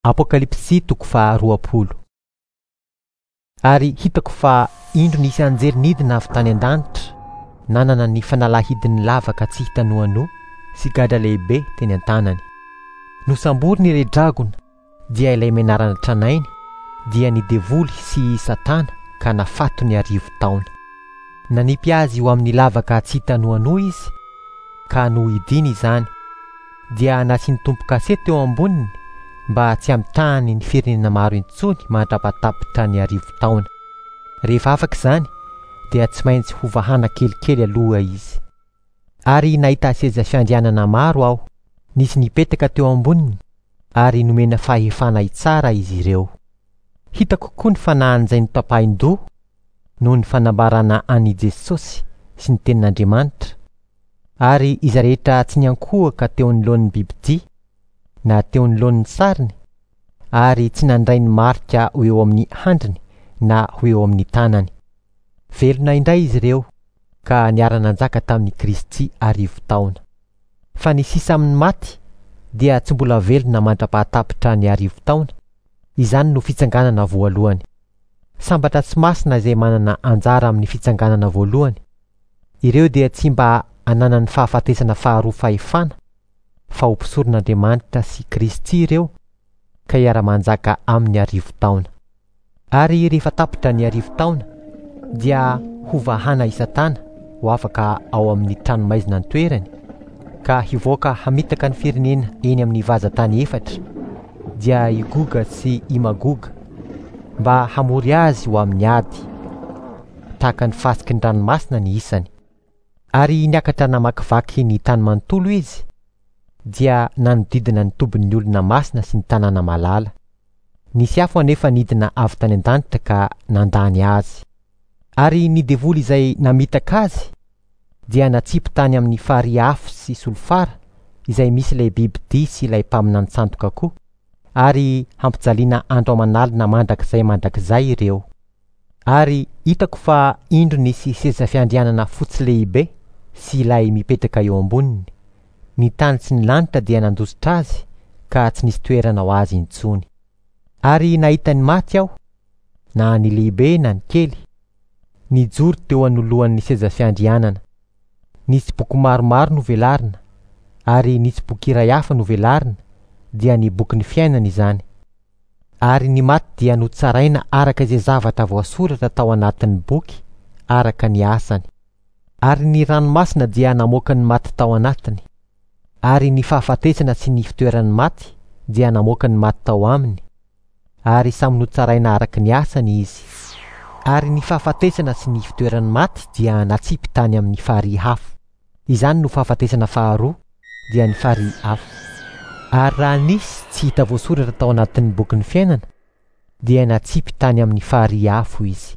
Apokalypsy toko faha-20. Ary hitako fa indro nisy anjely nidina avy tany an-danitra, nanana ny fanalahidin'ny lavaka tsy hita noanoa sy gadra lehibe teny an-tanany. Nosamboriny ilay dragona, dia ilay menarana tranainy, dia ny devoly sy i Satana ka nafatony 1000 taona. Nanipy azy ho amin'ny lavaka tsy hita noanoa izy, ka nohidiany izany, dia nasiany tombo-kase teo amboniny mba tsy hamitahany ny firenena maro intsony mandra-pahatapitra ny 1000 taona. Rehefa afaka izany, dia tsy maintsy hovahana kelikely aloha izy. Ary nahita seza fiandrianana maro aho, nisy nipetaka teo amboniny, ary nomena fahefana hitsara izy ireo. Hitako koa ny fanahin'izay notapahin-doha noho ny fanambarana an'i Jesosy sy ny tenin'Andriamanitra, ary izay rehetra tsy niankohoka teo anoloan'ny bibidia na teo anoloan'ny sariny, ary tsy nandray ny marika ho eo amin'ny handriny na ho eo amin'ny tanany. Velona indray izy ireo ka niara-nanjaka tamin'i Kristy 1000 taona. Fa ny sisa amin'ny maty dia tsy mbola velona mandra-pahatapitra ny 1000 taona. Izany no fitsanganana voalohany. Sambatra tsy masina izay manana anjara amin'ny fitsanganana voalohany. Ireo dia tsy mba ananan'ny fahafatesana faharoa fahefana, fa ho mpisoron'Andriamanitra sy Kristy ireo ka hiara-manjaka amin'ny 1000 taona. Ary rehefa tapitra ny 1000 taona, dia hovahana i Satana ho afaka ao amin'ny tranomaizina ny toerany, ka hivoaka hamitaka ny firenena eny amin'ny vazan-tany efatra, dia i Goga sy i Magoga, mba hamory azy ho amin'ny ady, tahaka ny fasiky ny ranomasina ny isany. Ary niakatra namakivaky ny tany manontolo izy, dia nanodidina ny tobin'ny olona masina sy ny tanàna malala. Nisy afo anefa nidina avy tany an-danitra ka nandany azy. Ary ny devoly izay namitaka azy dia natsipy tany amin'ny farihy afo sy solifara izay misy ilay bibidia sy ilay mpaminany sandoka koa, ary hampijaliana andro aman'alina mandrakizay mandrakizay ireo. Ary hitako fa indro nisy seza fiandrianana fotsy lehibe sy ilay mipetraka eo amboniny. Ny tany sy ny lanitra dia nandositra azy ka tsy nisy toerana ho azy intsony. Ary nahita ny maty aho, na ny lehibe na ny kely, nijoro teo anoloan'ny seza fiandrianana. Nisy boky maromaro novelarina, ary nisy boky iray hafa novelarina, dia ny bokin'ny fiainana izany. Ary ny maty dia notsaraina araka izay zavatra voasoratra tao anatin'ny boky, araka ny asany. Ary ny ranomasina dia namoaka ny maty tao anatiny. Ary ny fahafatesana sy ny fitoeran'ny maty dia namoaka ny maty tao aminy, ary samy notsaraina araka ny asany izy. Ary ny fahafatesana sy ny fitoeran'ny maty dia natsipy tany amin'ny farihy afo. Izany no fahafatesana faharoa, dia ny farihy afo. Ary raha nisy tsy hita voasoratra tao anatin'ny bokin'ny fiainana, dia natsipy tany amin'ny farihy afo izy.